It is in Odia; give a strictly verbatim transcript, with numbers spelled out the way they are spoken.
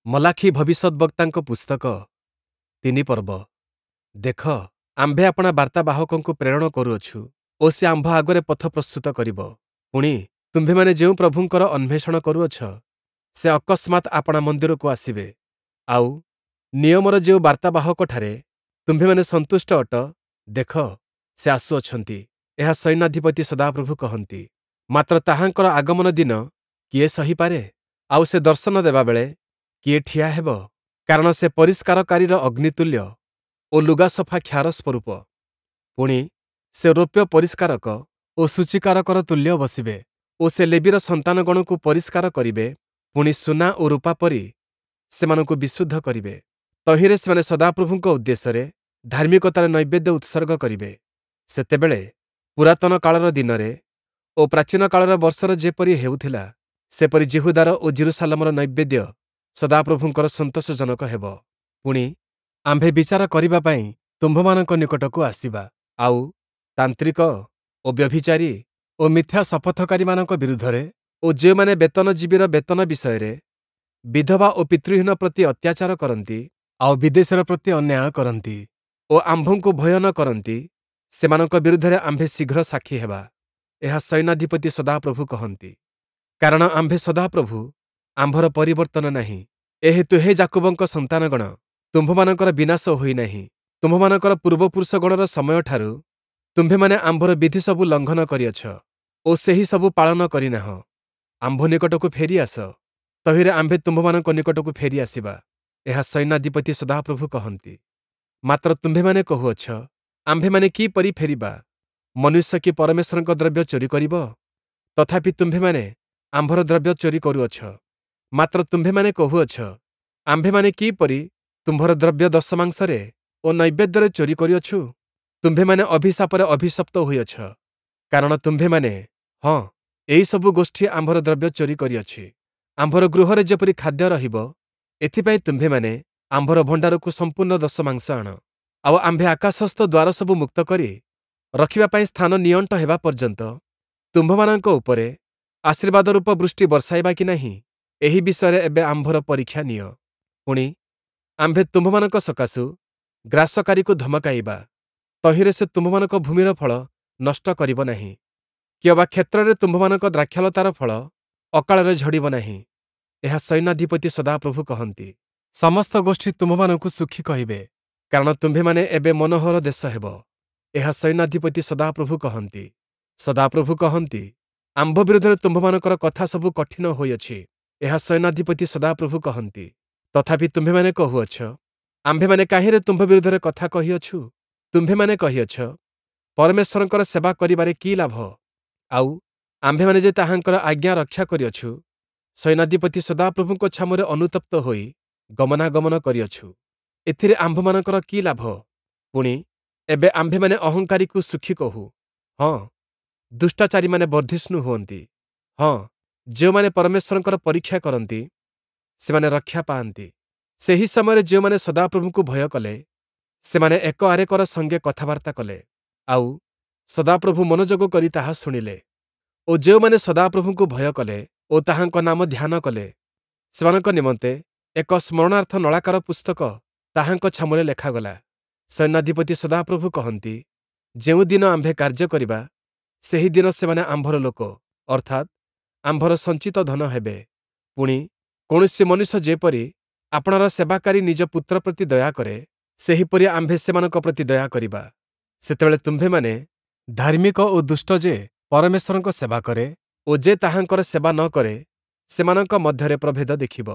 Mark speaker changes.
Speaker 1: ମଲାଖୀ ଭବିଷ୍ୟଦ୍‌ବକ୍ତାଙ୍କ ପୁସ୍ତକ ତିନି ପର୍ବ। ଦେଖ, ଆମ୍ଭେ ଆପଣା ବାର୍ତ୍ତାବାହକଙ୍କୁ ପ୍ରେରଣ କରୁଅଛୁ ଓ ସେ ଆମ୍ଭ ଆଗରେ ପଥ ପ୍ରସ୍ତୁତ କରିବ। ପୁଣି, ତୁମ୍ଭେମାନେ ଯେଉଁ ପ୍ରଭୁଙ୍କର ଅନ୍ୱେଷଣ କରୁଅଛ, ସେ ଅକସ୍ମାତ୍ ଆପଣା ମନ୍ଦିରକୁ ଆସିବେ। ଆଉ, ନିୟମର ଯେଉଁ ବାର୍ତ୍ତାବାହକଠାରେ ତୁମ୍ଭେମାନେ ସନ୍ତୁଷ୍ଟ ଅଟ, ଦେଖ, ସେ ଆସୁଅଛନ୍ତି, ଏହା ସୈନ୍ୟାଧିପତି ସଦାପ୍ରଭୁ କହନ୍ତି। ମାତ୍ର ତାହାଙ୍କର ଆଗମନ ଦିନ କିଏ ସହିପାରେ? ଆଉ ସେ ଦର୍ଶନ ଦେବାବେଳେ କିଏ ଠିଆ ହେବ? କାରଣ ସେ ପରିଷ୍କାରକାରୀର ଅଗ୍ନିତୁଲ୍ୟ ଓ ଲୁଗାସଫା କ୍ଷାର ସ୍ୱରୂପ। ପୁଣି, ସେ ରୌପ୍ୟ ପରିଷ୍କାରକ ଓ ସୂଚୀକାରକର ତୁଲ୍ୟ ବସିବେ ଓ ସେ ଲେବୀର ସନ୍ତାନଗଣକୁ ପରିଷ୍କାର କରିବେ, ପୁଣି ସୁନା ଓ ରୂପା ପରି ସେମାନଙ୍କୁ ବିଶୁଦ୍ଧ କରିବେ। ତହିଁରେ ସେମାନେ ସଦାପ୍ରଭୁଙ୍କ ଉଦ୍ଦେଶ୍ୟରେ ଧାର୍ମିକତାର ନୈବେଦ୍ୟ ଉତ୍ସର୍ଗ କରିବେ। ସେତେବେଳେ ପୁରାତନ କାଳର ଦିନରେ ଓ ପ୍ରାଚୀନ କାଳର ବର୍ଷର ଯେପରି ହେଉଥିଲା, ସେପରି ଯିହୁଦାର ଓ ଯିରୂଶାଲମର ନୈବେଦ୍ୟ ସଦାପ୍ରଭୁଙ୍କର ସନ୍ତୋଷଜନକ ହେବ। ପୁଣି, ଆମ୍ଭେ ବିଚାର କରିବା ପାଇଁ ତୁମ୍ଭମାନଙ୍କ ନିକଟକୁ ଆସିବା। ଆଉ, ତାନ୍ତ୍ରିକ ଓ ବ୍ୟଭିଚାରୀ ଓ ମିଥ୍ୟା ଶପଥକାରୀମାନଙ୍କ ବିରୁଦ୍ଧରେ ଓ ଯେଉଁମାନେ ବେତନଜୀବୀର ବେତନ ବିଷୟରେ ବିଧବା ଓ ପିତୃହୀନ ପ୍ରତି ଅତ୍ୟାଚାର କରନ୍ତି, ଆଉ ବିଦେଶୀର ପ୍ରତି ଅନ୍ୟାୟ କରନ୍ତି ଓ ଆମ୍ଭଙ୍କୁ ଭୟ ନ କରନ୍ତି, ସେମାନଙ୍କ ବିରୁଦ୍ଧରେ ଆମ୍ଭେ ଶୀଘ୍ର ସାକ୍ଷୀ ହେବା। ଏହା ସୈନ୍ୟାଧିପତି ସଦାପ୍ରଭୁ କହନ୍ତି। କାରଣ ଆମ୍ଭେ ସଦାପ୍ରଭୁ, ଆମ୍ଭର ପରିବର୍ତ୍ତନ ନାହିଁ। ଏହେତୁ ହେ ଯାକୁବଙ୍କ ସନ୍ତାନଗଣ, ତୁମ୍ଭମାନଙ୍କର ବିନାଶ ହୋଇନାହିଁ। ତୁମ୍ଭମାନଙ୍କର ପୂର୍ବପୁରୁଷଗଣର ସମୟଠାରୁ ତୁମ୍ଭେମାନେ ଆମ୍ଭର ବିଧିସବୁ ଲଙ୍ଘନ କରିଅଛ ଓ ସେହି ସବୁ ପାଳନ କରିନାହଁ। ଆମ୍ଭ ନିକଟକୁ ଫେରି ଆସ, ତହିଁରେ ଆମ୍ଭେ ତୁମ୍ଭମାନଙ୍କ ନିକଟକୁ ଫେରି ଆସିବା। ଏହା ସୈନ୍ୟାଧିପତି ସଦାପ୍ରଭୁ କହନ୍ତି। ମାତ୍ର ତୁମ୍ଭେମାନେ କହୁଅଛ, ଆମ୍ଭେମାନେ କିପରି ଫେରିବା? ମନୁଷ୍ୟ କି ପରମେଶ୍ୱରଙ୍କ ଦ୍ରବ୍ୟ ଚୋରି କରିବ? ତଥାପି ତୁମ୍ଭେମାନେ ଆମ୍ଭର ଦ୍ରବ୍ୟ ଚୋରି କରୁଅଛ। ମାତ୍ର ତୁମ୍ଭେମାନେ କହୁଅଛ, ଆମ୍ଭେମାନେ କିପରି ତୁମ୍ଭର ଦ୍ରବ୍ୟ ଦଶମାଂଶରେ ଓ ନୈବେଦ୍ୟରେ ଚୋରି କରିଅଛୁ? ତୁମ୍ଭେମାନେ ଅଭିଶାପରେ ଅଭିଶପ୍ତ ହୋଇଅଛ, କାରଣ ତୁମ୍ଭେମାନେ, ହଁ, ଏହିସବୁ ଗୋଷ୍ଠୀ ଆମ୍ଭର ଦ୍ରବ୍ୟ ଚୋରି କରିଅଛି। ଆମ୍ଭର ଗୃହରେ ଯେପରି ଖାଦ୍ୟ ରହିବ, ଏଥିପାଇଁ ତୁମ୍ଭେମାନେ ଆମ୍ଭର ଭଣ୍ଡାରକୁ ସମ୍ପୂର୍ଣ୍ଣ ଦଶମାଂଶ ଆଣ। ଆଉ ଆମ୍ଭେ ଆକାଶସ୍ଥ ଦ୍ୱାର ସବୁ ମୁକ୍ତ କରି ରଖିବା ପାଇଁ ସ୍ଥାନ ନିଅଣ୍ଟ ହେବା ପର୍ଯ୍ୟନ୍ତ ତୁମ୍ଭମାନଙ୍କ ଉପରେ ଆଶୀର୍ବାଦ ରୂପ ବୃଷ୍ଟି ବର୍ଷାଇବା କି ନାହିଁ, ଏହି ବିଷୟରେ ଏବେ ଆମ୍ଭର ପରୀକ୍ଷା ନିଅ। ପୁଣି, ଆମ୍ଭେ ତୁମ୍ଭମାନଙ୍କ ସକାଶୁ ଗ୍ରାସକାରୀକୁ ଧମକାଇବା, ତହିଁରେ ସେ ତୁମ୍ଭମାନଙ୍କ ଭୂମିର ଫଳ ନଷ୍ଟ କରିବ ନାହିଁ, କିଅବା କ୍ଷେତ୍ରରେ ତୁମ୍ଭମାନଙ୍କ ଦ୍ରାକ୍ଷାଲତାର ଫଳ ଅକାଳରେ ଝଡ଼ିବ ନାହିଁ। ଏହା ସୈନ୍ୟାଧିପତି ସଦାପ୍ରଭୁ କହନ୍ତି। ସମସ୍ତ ଗୋଷ୍ଠୀ ତୁମ୍ଭମାନଙ୍କୁ ସୁଖୀ କହିବେ, କାରଣ ତୁମ୍ଭେମାନେ ଏବେ ମନୋହର ଦେଶ ହେବ। ଏହା ସୈନ୍ୟାଧିପତି ସଦାପ୍ରଭୁ କହନ୍ତି। ସଦାପ୍ରଭୁ କହନ୍ତି, ଆମ୍ଭ ବିରୁଦ୍ଧରେ ତୁମ୍ଭମାନଙ୍କର କଥା ସବୁ କଠିନ ହୋଇଅଛି। ଏହା ସୈନ୍ୟାଧିପତି ସଦାପ୍ରଭୁ କହନ୍ତି। ତଥାପି ତୁମ୍ଭେମାନେ କହୁଅଛ, ଆମ୍ଭେମାନେ କାହିଁରେ ତୁମ୍ଭ ବିରୁଦ୍ଧରେ କଥା କହିଅଛୁ? ତୁମ୍ଭେମାନେ କହିଅଛ, ପରମେଶ୍ୱରଙ୍କର ସେବା କରିବାରେ କି ଲାଭ? ଆଉ, ଆମ୍ଭେମାନେ ଯେ ତାହାଙ୍କର ଆଜ୍ଞା ରକ୍ଷା କରିଅଛୁ, ସୈନ୍ୟାଧିପତି ସଦାପ୍ରଭୁଙ୍କ ଛାମୁରେ ଅନୁତପ୍ତ ହୋଇ ଗମନାଗମନ କରିଅଛୁ, ଏଥିରେ ଆମ୍ଭମାନଙ୍କର କି ଲାଭ? ପୁଣି, ଏବେ ଆମ୍ଭେମାନେ ଅହଙ୍କାରୀକୁ ସୁଖୀ କହୁ। ହଁ, ଦୁଷ୍ଟାଚାରୀମାନେ ବର୍ଦ୍ଧିଷ୍ଣୁ ହୁଅନ୍ତି। ହଁ, ଯେଉଁମାନେ ପରମେଶ୍ୱରଙ୍କର ପରୀକ୍ଷା କରନ୍ତି, ସେମାନେ ରକ୍ଷା ପାଆନ୍ତି। ସେହି ସମୟରେ ଯେଉଁମାନେ ସଦାପ୍ରଭୁଙ୍କୁ ଭୟ କଲେ, ସେମାନେ ଏକ ଆରେକର ସଙ୍ଗେ କଥାବାର୍ତ୍ତା କଲେ, ଆଉ, ସଦାପ୍ରଭୁ ମନୋଯୋଗ କରି ତାହା ଶୁଣିଲେ। ଓ ଯେଉଁମାନେ ସଦାପ୍ରଭୁଙ୍କୁ ଭୟ କଲେ ଓ ତାହାଙ୍କ ନାମ ଧ୍ୟାନ କଲେ, ସେମାନଙ୍କ ନିମନ୍ତେ ଏକ ସ୍ମରଣାର୍ଥ ନଳାକାର ପୁସ୍ତକ ତାହାଙ୍କ ଛାମୁରେ ଲେଖାଗଲା। ସୈନ୍ୟାଧିପତି ସଦାପ୍ରଭୁ କହନ୍ତି, ଯେଉଁ ଦିନ ଆମ୍ଭେ କାର୍ଯ୍ୟ କରିବା, ସେହି ଦିନ ସେମାନେ ଆମ୍ଭର ଲୋକ, ଅର୍ଥାତ୍ ଆମ୍ଭର ସଞ୍ଚିତ ଧନ ହେବେ। ପୁଣି, କୌଣସି ମନୁଷ୍ୟ ଯେପରି ଆପଣାର ସେବାକାରୀ ନିଜ ପୁତ୍ର ପ୍ରତି ଦୟା କରେ, ସେହିପରି ଆମ୍ଭେ ସେମାନଙ୍କ ପ୍ରତି ଦୟା କରିବା। ସେତେବେଳେ ତୁମ୍ଭେମାନେ ଧାର୍ମିକ ଓ ଦୁଷ୍ଟ ଯେ ପରମେଶ୍ୱରଙ୍କ ସେବା କରେ ଓ ଯେ ତାହାଙ୍କର ସେବା ନ କରେ, ସେମାନଙ୍କ ମଧ୍ୟରେ ପ୍ରଭେଦ ଦେଖିବ।